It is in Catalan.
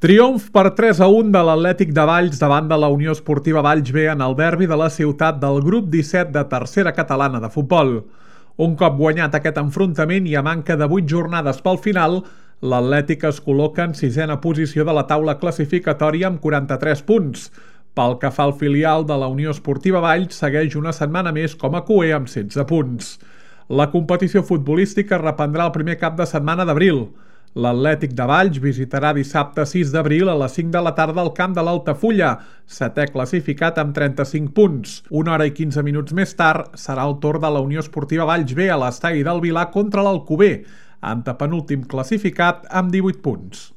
Triomf per 3-1 de l'Atlètic de Valls davant de la Unió Esportiva Valls B en el derbi de la ciutat del grup 17 de tercera catalana de futbol. Un cop guanyat aquest enfrontament i a manca de 8 jornades pel final, l'Atlètic es col·loca en sisena posició de la taula classificatòria amb 43 punts. Pel que fa al filial de la Unió Esportiva Valls, segueix una setmana més com a cuer amb 16 punts. La competició futbolística reprendrà el primer cap de setmana d'abril. L'Atlètic de Valls visitarà dissabte 6 d'abril a les 5 de la tarda al camp de l'Altafulla, setè classificat amb 35 punts. 1 hora i 15 minuts més tard serà el torn de la Unió Esportiva Valls B a l'estadi del Vilar contra l'Alcover, antepenúltim classificat amb 18 punts.